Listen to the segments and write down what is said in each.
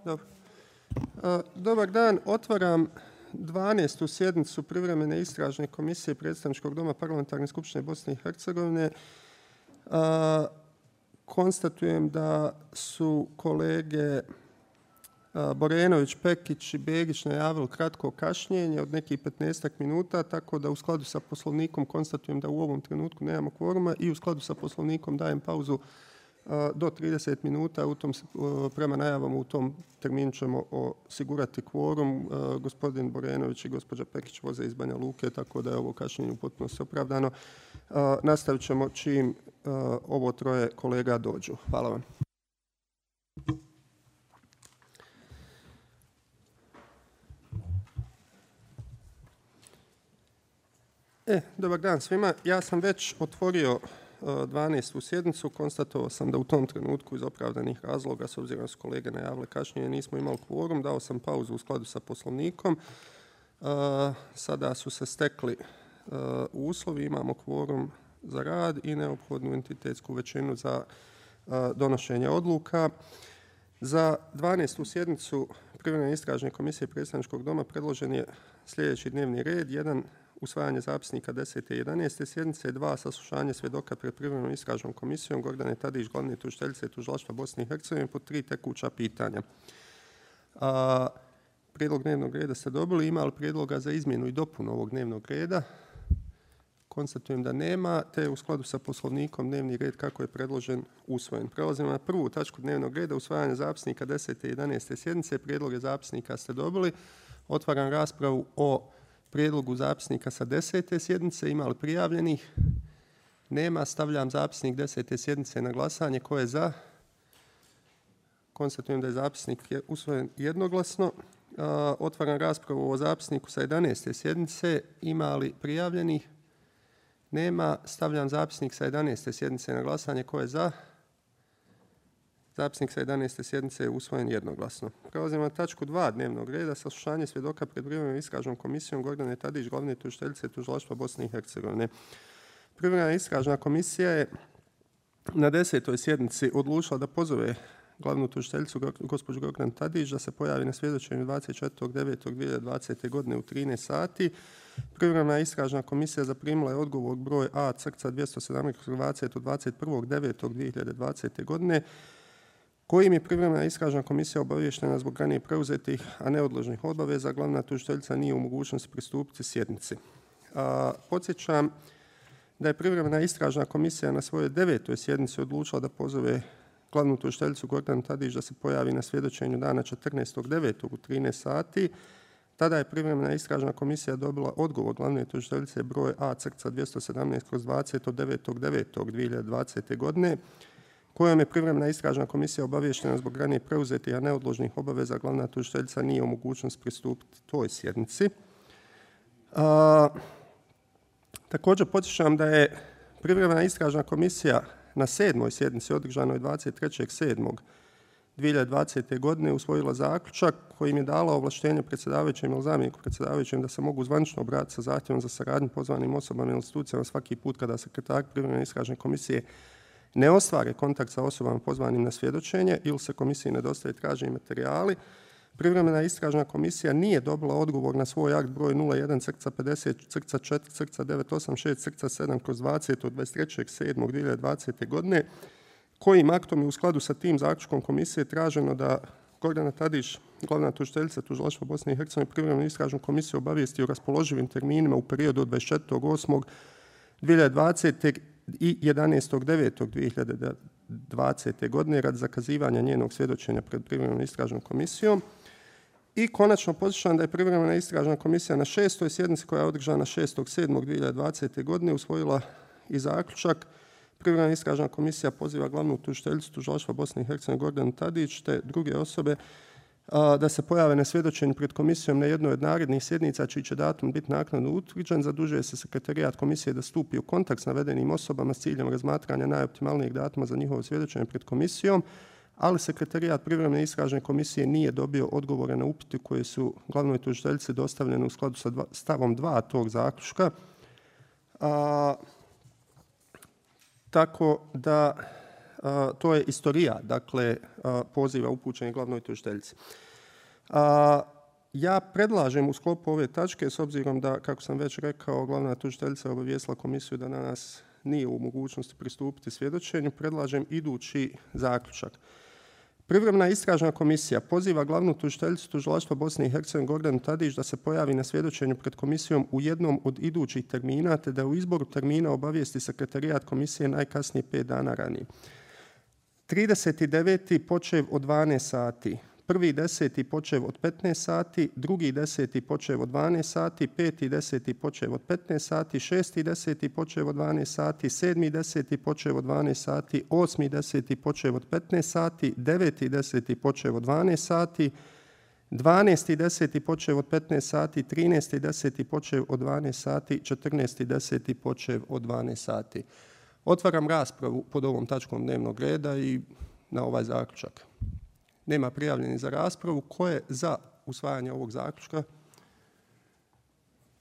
Dobro. Dobar dan. Otvaram 12. sjednicu privremene istražne komisije Predstavničkog doma Parlamentarne skupštine Bosne i Hercegovine. Konstatujem da su kolege Borenović, Pekić i Begić najavili kratko kašnjenje od nekih 15 minuta, tako da u skladu sa Poslovnikom konstatujem da u ovom trenutku nemamo kvoruma i u skladu sa Poslovnikom dajem pauzu do 30 minuta. Prema najavama u tom terminu ćemo osigurati kvorum. Gospodin Borenović i gospođa Pekić voze iz Banja Luke, tako da je ovo kašnjenje potpuno opravdano. Nastavit ćemo čim ovo troje kolega dođu. Hvala vam. Dobar dan svima. Ja sam već otvorio 12. sjednicu. Konstatovao sam da u tom trenutku iz opravdanih razloga, s obzirom da su kolege najavile kašnjenje, nismo imali kvorum. Dao sam pauzu u skladu sa Poslovnikom. Sada su se stekli uslovi. Imamo kvorum za rad i neophodnu entitetsku većinu za donošenje odluka. Za 12. sjednicu Privremene istražne komisije Predstavničkog doma predložen je sljedeći dnevni red. 1. Usvajanje zapisnika 10. i 11. sjednice, 2. Saslušanje svjedoka pred Privremenom istražnom komisijom Gordane Tadić, glavne tužiteljice Tužilaštva Bosne i Hercegovine, po 3 tekuća pitanja. Prijedlog dnevnog reda ste dobili. Ima li prijedloga za izmjenu i dopunu ovog dnevnog reda? Konstatujem da nema, te je u skladu sa Poslovnikom dnevni red kako je predložen usvojen. Prelazimo na prvu tačku dnevnog reda, usvajanje zapisnika 10. i 11. sjednice. Prijedloge zapisnika ste dobili. Otvaram raspravu o prijedlogu zapisnika sa 10. sjednice. Ima li prijavljenih? Nema. Stavljam zapisnik 10. sjednice na glasanje. Ko je za? Konstatujem da je zapisnik usvojen jednoglasno. Otvaram raspravu o zapisniku sa 11. sjednice. Ima li prijavljenih? Nema. Stavljam zapisnik sa 11. sjednice na glasanje. Ko je za? Zapisnik sa 11. sjednice je usvojen jednoglasno. Prelazimo na tačku 2 dnevnog reda, saslušanje svjedoka pred Privremenom istražnom komisijom Gordane Tadić, glavne tužiteljice Tužilaštva Bosne i Hercegovine. Privremena istražna komisija je na 10. sjednici odlučila da pozove glavnu tužiteljicu gospođu Gordanu Tadić da se pojavi na svjedočenju 24.9.2020. godine u 13 sati. Privremena istražna komisija zaprimila je odgovor broj A/217/20 od 21.9.2020. godine kojim je privremena istražna komisija obavještena zbog ranije preuzetih, a neodloženih obaveza. Glavna tužiteljica nije u mogućnosti pristupiti sjednici. Podsjećam da je privremena istražna komisija na svojoj 9. sjednici odlučila da pozove glavnu tužiteljicu Gordanu Tadić da se pojavi na svjedočenju dana 14.9. u 13 sati. Tada je privremena istražna komisija dobila odgovor glavne tužiteljice broj A/217/20 od 9.9.2020. godine kojom je privremena istražna komisija obavještena zbog ranije preuzetih, a neodloženih obaveza. Glavna tužiteljica nije u mogućnosti pristupiti toj sjednici. Također podsjećam da je privremena istražna komisija na 7. sjednici održanoj 23.7.2020. godine usvojila zaključak kojim je dala ovlaštenje predsjedavajućem ili zamjeniku predsjedavajućem da se mogu zvanično obratiti sa zahtjevom za saradnju pozvanim osobama i institucijama svaki put kada sekretar privremene istražne komisije ne ostvare kontakt sa osobama pozvanim na svjedočenje ili se komisiji ne dostave traženi materijali. Privremena istražna komisija nije dobila odgovor na svoj akt broj 01/50/4/986/7/20 od 23.7.2020. godine kojim aktom je u skladu sa tim zaključkom komisije traženo da Gordana Tadić, glavna tužiteljica Tužilaštva Bosne i Hercegovine, privremenu istražnu komisiju obavijesti o raspoloživim terminima u periodu od 24.8.2020. i 11.9.2020. godine radi zakazivanja njenog svjedočenja pred privremenom istražnom komisijom. I konačno podsjećam da je privremena istražna komisija na 6. sjednici koja je održana 6.7.2020. godine usvojila i zaključak. Privremena istražna komisija poziva glavnu tužiteljicu Tužilaštva Bosne i Hercegovine Gordanu Tadić te druge osobe da se pojave na svjedočenju pred komisijom na jednoj od narednih sjednica čiji će datum biti naknadno utvrđen. Zadužuje se sekretarijat komisije da stupi u kontakt s navedenim osobama s ciljem razmatranja najoptimalnijeg datuma za njihovo svjedočenje pred komisijom, ali sekretarijat privremene istražne komisije nije dobio odgovore na upite koje su glavnoj tužiteljici dostavljene u skladu sa stavom 2 tog zaključka. Tako da to je istorija, dakle, poziva upućenih glavnoj tužiteljici. Ja predlažem u sklopu ove tačke, s obzirom da, kako sam već rekao, glavna tužiteljica obavijestila komisiju da danas nije u mogućnosti pristupiti svjedočenju, predlažem idući zaključak. Privremena istražna komisija poziva glavnu tužiteljicu Tužilaštva Bosne i Hercegovine Gordanu Tadić da se pojavi na svjedočenju pred komisijom u jednom od idućih termina, te da u izboru termina obavijesti sekretarijat komisije najkasnije 5 dana ranije. 30.9. počev od 12 sati. 1.10. počev od 15 sati, 2.10. počev od 12 sati, 5.10. počev od 15 sati, 6.10. počev od 12 sati, 7.10. počev od 12 sati, 8.10. počev od 15 sati, 9.10. počev od 12 sati, 12.10. počev od 15 sati, 13.10. počev od 12 sati, 14.10. počev od 12 sati. Otvaram raspravu pod ovom tačkom dnevnog reda i na ovaj zaključak. Nema prijavljenih za raspravu. Ko je za usvajanje ovog zaključka?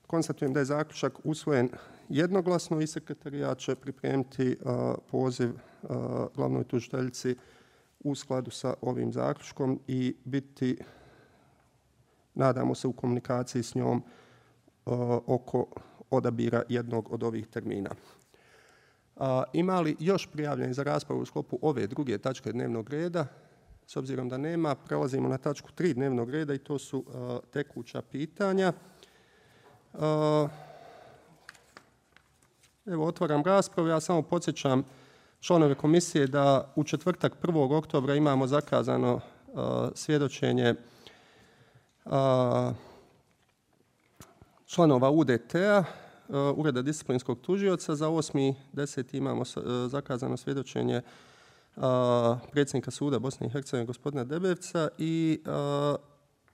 Konstatujem da je zaključak usvojen jednoglasno i sekretarijat će pripremiti poziv glavnoj tužiteljici u skladu sa ovim zaključkom i biti, nadamo se, u komunikaciji s njom oko odabira jednog od ovih termina. Ima li još prijavljenih za raspravu u sklopu ove druge tačke dnevnog reda? S obzirom da nema, prelazimo na tačku 3 dnevnog reda i to su tekuća pitanja. Evo, otvaram raspravu. Ja samo podsjećam članove komisije da u četvrtak 1. oktobra imamo zakazano svjedočenje članova UDT-a, Ureda disciplinskog tužioca. Za 8.10. imamo zakazano svjedočenje predsjednika suda Bosne i Hercegovine gospodina Debevca i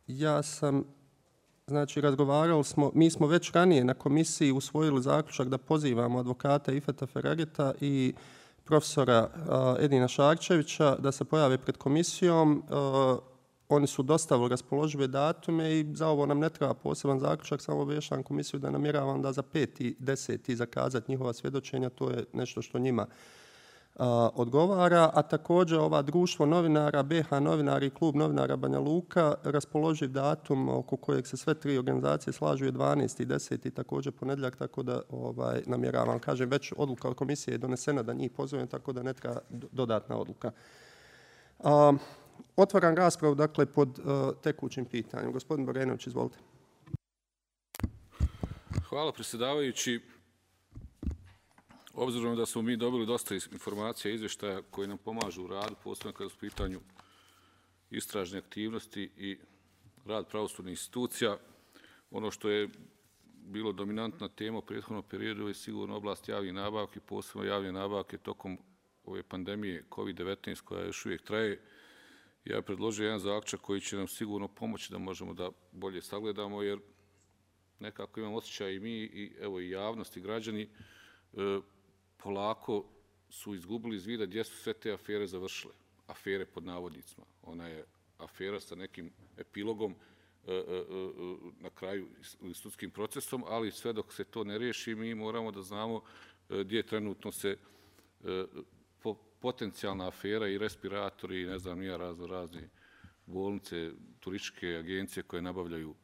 ja sam, znači, razgovarali smo, mi smo već ranije na komisiji usvojili zaključak da pozivamo advokata Ifeta Ferageta i profesora Edina Šarčevića da se pojave pred komisijom. Oni su dostavili raspoložive datume i za ovo nam ne treba poseban zaključak, samo obavještavam komisiju da namjeravam da za 5.10. zakazati njihova svjedočenja, to je nešto što njima odgovara, a također ova društvo novinara, BH novinari i klub novinara Banja Luka, raspoloživ datum oko kojeg se sve tri organizacije slažu je 12.10. također ponedjeljak, tako da namjeravam, kažem, već odluka od komisije je donesena da njih pozovem, tako da ne treba dodatna odluka. Otvaram raspravu, dakle, pod tekućim pitanjem. Gospodin Borenović, izvolite. Hvala, predsjedavajući. Obzirom da smo mi dobili dosta informacija i izvještaja koji nam pomažu u radu, posebno kada su u pitanju istražne aktivnosti i rad pravosudnih institucija, ono što je bilo dominantna tema u prethodnom periodu je sigurno oblast javnih nabavki, posebno javne nabavke tokom ove pandemije COVID-19 koja još uvijek traje. Ja bih predložio jedan zaključak koji će nam sigurno pomoći da možemo da bolje sagledamo, jer nekako imam osjećaj i mi i javnost i građani polako su izgubili iz vida gdje su sve te afere završile. Afere pod navodnicima. Ona je afera sa nekim epilogom na kraju sudskim procesom, ali sve dok se to ne riješi, mi moramo da znamo gdje trenutno se potencijalna afera i respiratori i ne znam nija razne bolnice, turističke agencije koje nabavljaju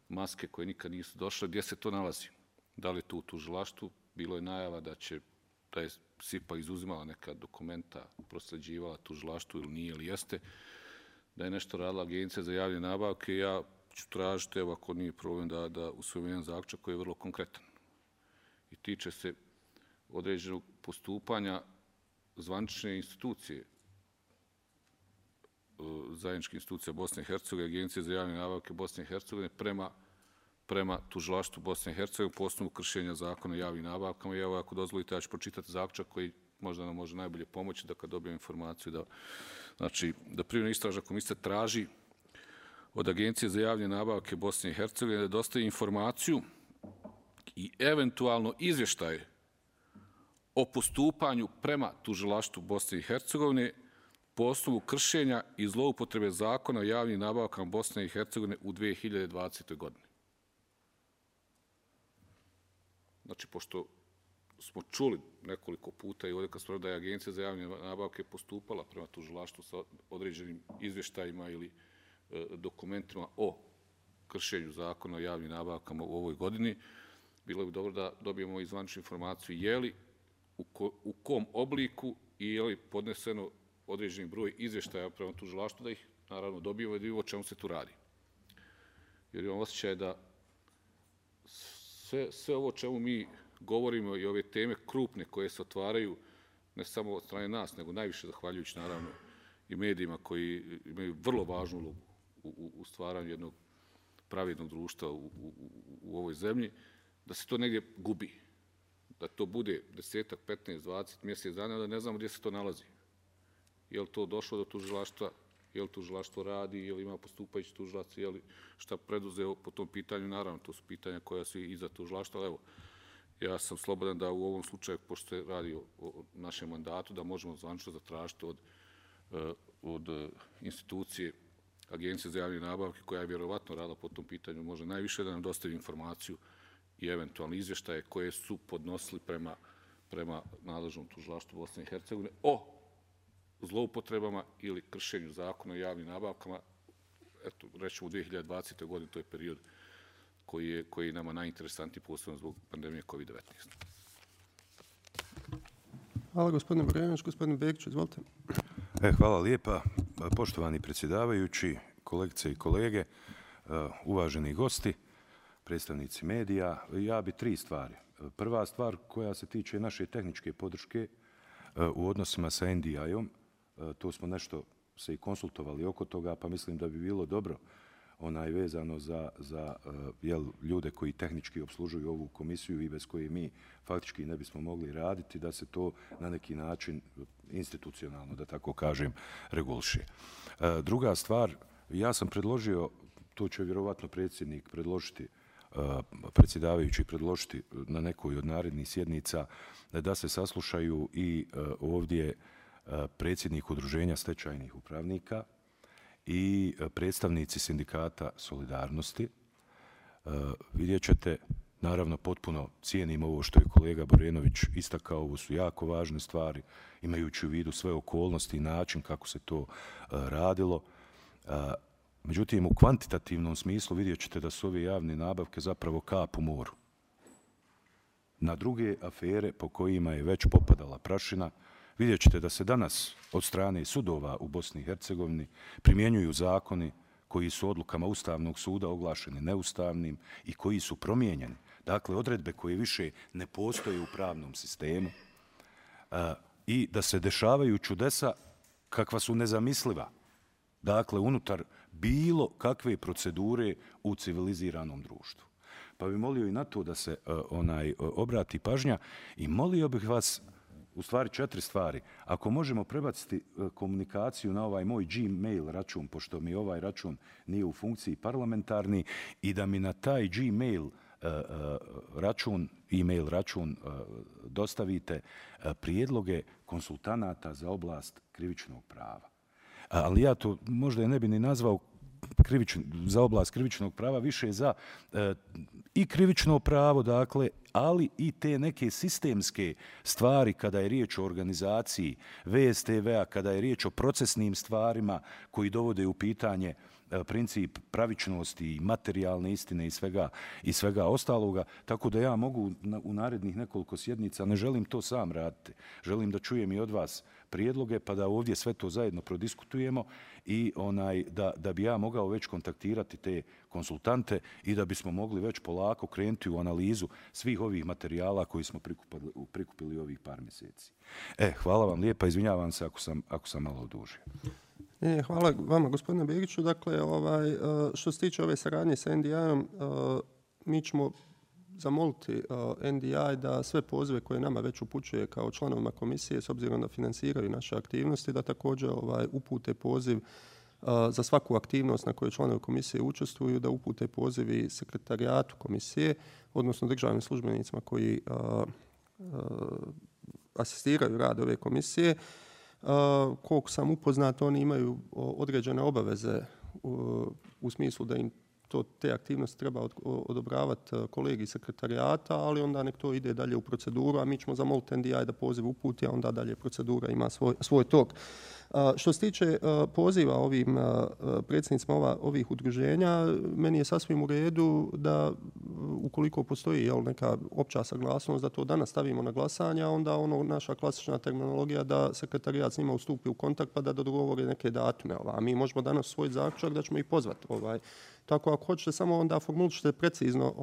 maske koje nikad nisu došle, gdje se to nalazi? Da li je tu u tužilaštvu? Bilo je najava da je SIPA izuzimala neka dokumenta, prosljeđivala tužilaštvu ili nije ili jeste, da je nešto radila Agencija za javne nabavke. Ja ću tražiti, evo ako nije problem, da usvojim jedan zaključak koji je vrlo konkretan i tiče se određenog postupanja zvanične institucije, zajedničke institucije Bosne i Hercegovine, Agencije za javne nabavke Bosne i Hercegovine prema tužilaštvu Bosne i Hercegovine po osnovu kršenja zakona o javnim nabavkama. I evo, ako dozvolite, ja ću pročitati zaključak koji možda nam može najbolje pomoći da kad dobijem informaciju da privremena istražna komisija traži od Agencije za javne nabavke Bosne i Hercegovine da dostavi informaciju i eventualno izvještaje o postupanju prema tužilaštvu Bosne i Hercegovine po osnovu kršenja i zloupotrebe zakona o javnim nabavkama Bosne i Hercegovine u 2020. godini. Znači, pošto smo čuli nekoliko puta i ovdje kad smo da je Agencija za javne nabavke postupala prema tužilaštvu sa određenim izvještajima ili dokumentima o kršenju zakona o javnim nabavkama u ovoj godini, bilo bi dobro da dobijemo izvaničnu informaciju je li, u kom obliku i je li podneseno određeni broj izvještaja prema tužilaštvu, da ih naravno dobijemo i da vidimo o čemu se tu radi. Jer imam osjećaj da sve ovo o čemu mi govorimo i ove teme krupne koje se otvaraju ne samo od strane nas, nego najviše zahvaljujući naravno i medijima koji imaju vrlo važnu ulogu u stvaranju jednog pravednog društva u ovoj zemlji, da se to negdje gubi. Da to bude 10, 15, 20 mjesec dana, da ne znamo gdje se to nalazi. Je li to došlo do tužilaštva, je li tužilaštvo radi, je li ima postupajući tužilac, je li šta preduzeo po tom pitanju. Naravno, to su pitanja koja su iza tužilaštva, ali evo, ja sam slobodan da u ovom slučaju, pošto se radi o našem mandatu, da možemo zvanično zatražiti od institucije Agencije za javne nabavke, koja je vjerovatno radila po tom pitanju, može najviše da nam dostavi informaciju i eventualne izvještaje koje su podnosili prema nadležnom tužilaštvu Bosne i Hercegovine o zloupotrebama ili kršenju zakona o javnim nabavkama. Eto, rećemo u 2020. godini, to je period koji je nama najinteresantniji, posebno zbog pandemije COVID-19. Hvala gospodine Brenović. Gospodine Begić, izvolite. Hvala lijepa. Poštovani predsjedavajući, kolegice i kolege, uvaženi gosti, predstavnici medija, ja bi 3 stvari. Prva stvar koja se tiče naše tehničke podrške u odnosima sa NDI-om, to smo nešto se i konsultovali oko toga, pa mislim da bi bilo dobro vezano za ljude koji tehnički obslužuju ovu komisiju i bez koje mi faktički ne bismo mogli raditi, da se to na neki način institucionalno, da tako kažem, reguliše. Druga stvar, ja sam predložio, to će vjerovatno predsjednik predložiti, predsjedavajući predložiti na nekoj od narednih sjednica, da se saslušaju i ovdje predsjednik Udruženja stečajnih upravnika i predstavnici sindikata Solidarnosti. Vidjet ćete, naravno potpuno cijenim ovo što je kolega Borenović istakao, ovo su jako važne stvari, imajući u vidu sve okolnosti i način kako se to radilo. Međutim, u kvantitativnom smislu vidjet ćete da su ove javne nabavke zapravo kap u moru. Na druge afere po kojima je već popadala prašina, vidjet ćete da se danas od strane sudova u Bosni i Hercegovini primjenjuju zakoni koji su odlukama Ustavnog suda oglašeni neustavnim i koji su promijenjeni. Dakle, odredbe koje više ne postoje u pravnom sistemu i da se dešavaju čudesa kakva su nezamisliva. Dakle, unutar bilo kakve procedure u civiliziranom društvu. Pa bih molio i na to da se obrati pažnja i molio bih vas, u stvari 4 stvari. Ako možemo prebaciti komunikaciju na ovaj moj Gmail račun, pošto mi ovaj račun nije u funkciji parlamentarni, i da mi na taj Gmail račun, e-mail račun dostavite prijedloge konsultanata za oblast krivičnog prava. Ali ja to možda ne bi ni nazvao za oblast krivičnog prava, više za i krivično pravo, dakle, ali i te neke sistemske stvari kada je riječ o organizaciji VSTV-a, kada je riječ o procesnim stvarima koji dovode u pitanje princip pravičnosti i materijalne istine i svega ostaloga, tako da ja mogu u narednih nekoliko sjednica, ne želim to sam raditi, želim da čujem i od vas prijedloge, pa da ovdje sve to zajedno prodiskutujemo i da bi ja mogao već kontaktirati te konsultante i da bismo mogli već polako krenuti u analizu svih ovih materijala koji smo prikupili ovih par mjeseci. Hvala vam lijepa, izvinjavam se ako sam malo odužio. Hvala vama, gospodine Begiću. Dakle, što se tiče ove saradnje sa NDI-om, mi ćemo zamoliti NDI da sve pozive koje nama već upućuje kao članovima komisije, s obzirom da financiraju naše aktivnosti, da također upute poziv za svaku aktivnost na kojoj članovi komisije učestvuju, da upute poziv i sekretarijatu komisije, odnosno državnim službenicima koji asistiraju rad ove komisije. Koliko sam upoznat, oni imaju određene obaveze u smislu da im te aktivnosti treba odobravati kolegi sekretarijata, ali onda nek to ide dalje u proceduru, a mi ćemo zamoliti NDI da poziv uputi, a onda dalje procedura ima svoj tok. Što se tiče poziva ovim predsjednicima ovih udruženja, meni je sasvim u redu da ukoliko postoji neka opća saglasnost da to danas stavimo na glasanje, a onda naša klasična terminologija da sekretarijat s njima ustupi u kontakt pa da dogovore neke datume. A mi možemo danas svoj zaključak da ćemo ih pozvati. Tako ako hoćete samo onda formuličite precizno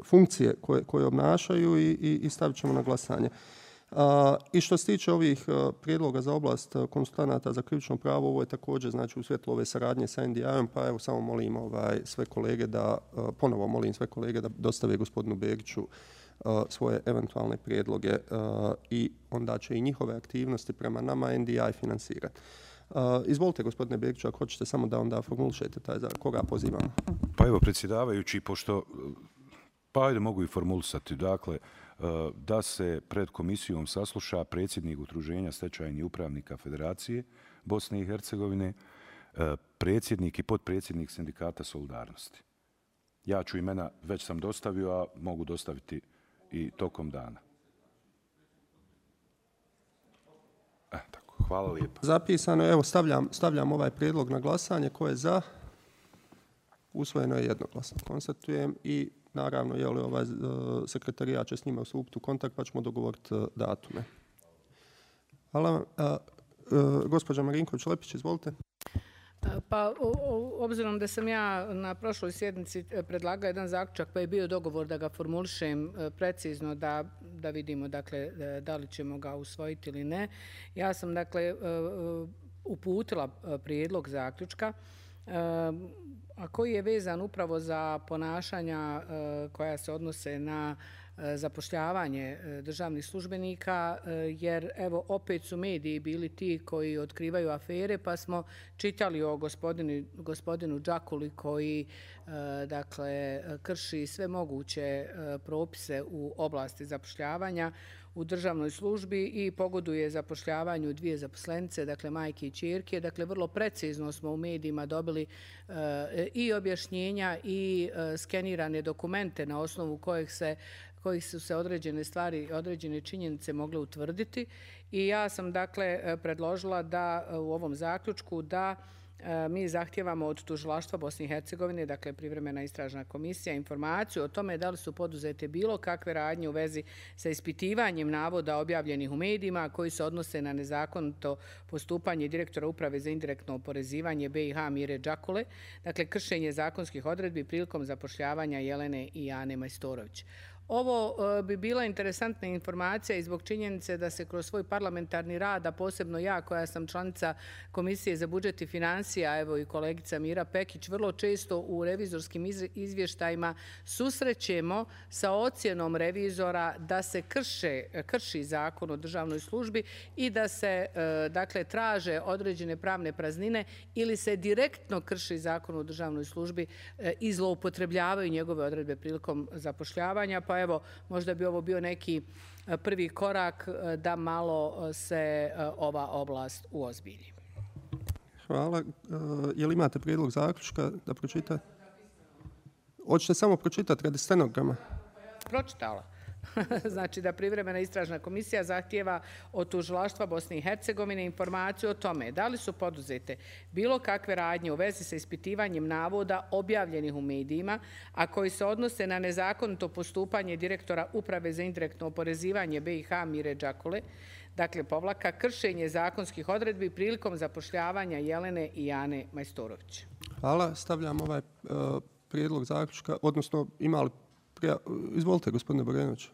funkcije koje obnašaju i stavit ćemo na glasanje. I što se tiče ovih prijedloga za oblast konsultanata za krivično pravo, ovo je također u svjetlu ove saradnje sa NDI-om, pa evo samo molim sve kolege da dostave gospodinu Begiću svoje eventualne prijedloge i onda će i njihove aktivnosti prema nama NDI financirati. Izvolite, gospodine Begiću, ako hoćete samo da onda formulišete koga pozivamo. Pa evo, predsjedavajući, pošto ajde mogu i formulisati, dakle, da se pred komisijom sasluša predsjednik Udruženja stečajnih upravnika Federacije Bosne i Hercegovine, predsjednik i potpredsjednik Sindikata Solidarnosti. Ja ću imena, već sam dostavio, a mogu dostaviti i tokom dana. Tako, hvala lijepo. Zapisano, evo stavljam ovaj prijedlog na glasanje. Ko je za? Usvojeno je jednoglasno. Konstatujem i naravno, sekretarijat će s njima stupiti u kontakt pa ćemo dogovoriti datume. Hvala. Gospođa Marinković-Lepić, izvolite. Pa, obzirom da sam ja na prošloj sjednici predlagao jedan zaključak pa je bio dogovor da ga formulišem precizno da vidimo da li ćemo ga usvojiti ili ne. Ja sam uputila prijedlog zaključka a koji je vezan upravo za ponašanja koja se odnose na zapošljavanje državnih službenika, jer evo opet su mediji bili ti koji otkrivaju afere, pa smo čitali o gospodinu Đakuli koji krši sve moguće propise u oblasti zapošljavanja u državnoj službi i pogoduje zapošljavanju dvije zaposlenice, dakle majke i ćerke. Dakle, vrlo precizno smo u medijima dobili i objašnjenja i skenirane dokumente na osnovu kojih su se određene stvari, određene činjenice mogle utvrditi. I ja sam predložila da u ovom zaključku da mi zahtijevamo od Tužilaštva Bosne i Hercegovine, dakle privremena istražna komisija, informaciju o tome da li su poduzete bilo kakve radnje u vezi sa ispitivanjem navoda objavljenih u medijima koji se odnose na nezakonito postupanje direktora Uprave za indirektno oporezivanje BiH Mire Đakule, dakle kršenje zakonskih odredbi prilikom zapošljavanja Jelene i Ane Majstorović. Ovo bi bila interesantna informacija i zbog činjenice da se kroz svoj parlamentarni rad, a posebno ja koja sam članica Komisije za budžet i financija, evo i kolegica Mira Pekić, vrlo često u revizorskim izvještajima susrećemo sa ocjenom revizora da se krši zakon o državnoj službi i da se traže određene pravne praznine ili se direktno krši zakon o državnoj službi i zloupotrebljavaju njegove odredbe prilikom zapošljavanja. Pa evo, možda bi ovo bio neki prvi korak da malo se ova oblast uozbilji. Hvala. Je li imate prijedlog zaključka da pročitate? Hoćete samo pročitati radi stenograma? Pročitala. Znači da privremena istražna komisija zahtijeva od Tužilaštva Bosne i Hercegovine informaciju o tome da li su poduzete bilo kakve radnje u vezi sa ispitivanjem navoda objavljenih u medijima, a koji se odnose na nezakonito postupanje direktora Uprave za indirektno oporezivanje BiH Mire Đakule, dakle kršenje zakonskih odredbi prilikom zapošljavanja Jelene i Ane Majstorović. Hvala. Stavljam ovaj prijedlog zaključka, odnosno imali izvolite, gospodine Borenović.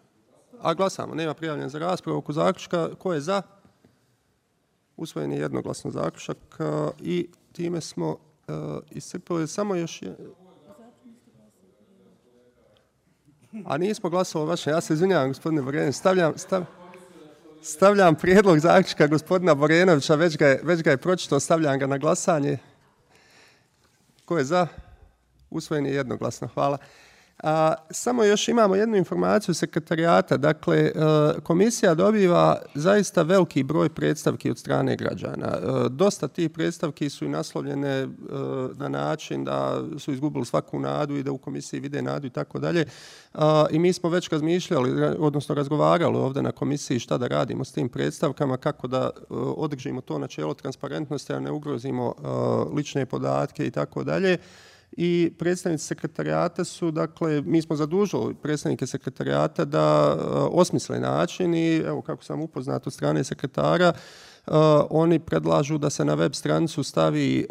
A glasamo, nema prijavljen za raspravu oko zaključka. Ko je za? Usvojen je jednoglasno zaključak i time smo iscrpili samo još... A nismo glasovali vaše, ja se izvinjavam, gospodine Borenović. Stavljam prijedlog zaključka gospodina Borenovića, već ga je pročitao, stavljam ga na glasanje. Ko je za? Usvojen je jednoglasno, hvala. Samo još imamo jednu informaciju sekretarijata. Dakle, komisija dobiva zaista veliki broj predstavki od strane građana. Dosta tih predstavki su i naslovljene na način da su izgubili svaku nadu i da u komisiji vide nadu i tako dalje. I mi smo već razmišljali, odnosno razgovarali ovdje na komisiji šta da radimo s tim predstavkama, kako da održimo to načelo transparentnosti, a ne ugrozimo lične podatke i tako dalje. I predstavnici sekretarijata su, dakle, mi smo zadužili predstavnike sekretarijata da osmisle način i, evo, kako sam upoznat od strane sekretara, oni predlažu da se na web stranicu stavi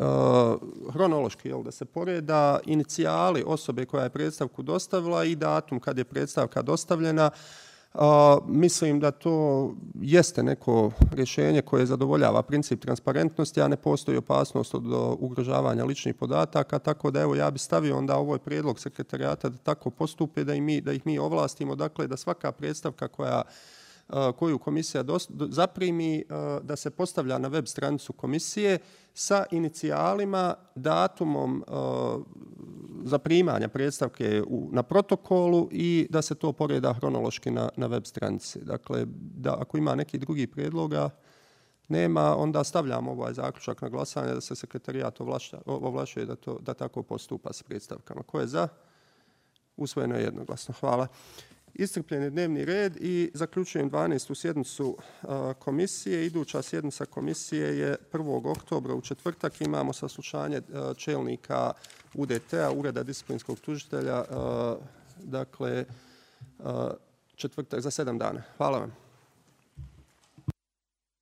hronološki, da se poreda inicijali osobe koja je predstavku dostavila i datum kad je predstavka dostavljena. Mislim da to jeste neko rješenje koje zadovoljava princip transparentnosti, a ne postoji opasnost od ugrožavanja ličnih podataka, tako da evo ja bi stavio onda ovaj prijedlog sekretarijata da tako postupe, da ih mi ovlastimo, dakle da svaka predstavka koju komisija zaprimi, da se postavlja na web stranicu komisije sa inicijalima, datumom zaprimanja predstavke na protokolu i da se to poreda hronološki na web stranici. Dakle, da ako ima neki drugi prijedloga, nema, onda stavljamo ovaj zaključak na glasanje da se sekretarijat ovlašuje da tako postupa s predstavkama. Ko je za? Usvojeno je jednoglasno. Hvala. Iscrpljen je dnevni red i zaključujem 12. sjednicu komisije. Iduća sjednica komisije je 1. oktobra u četvrtak. Imamo saslušanje čelnika UDT-a, Ureda disciplinskog tužitelja, dakle četvrtak za 7 dana. Hvala vam.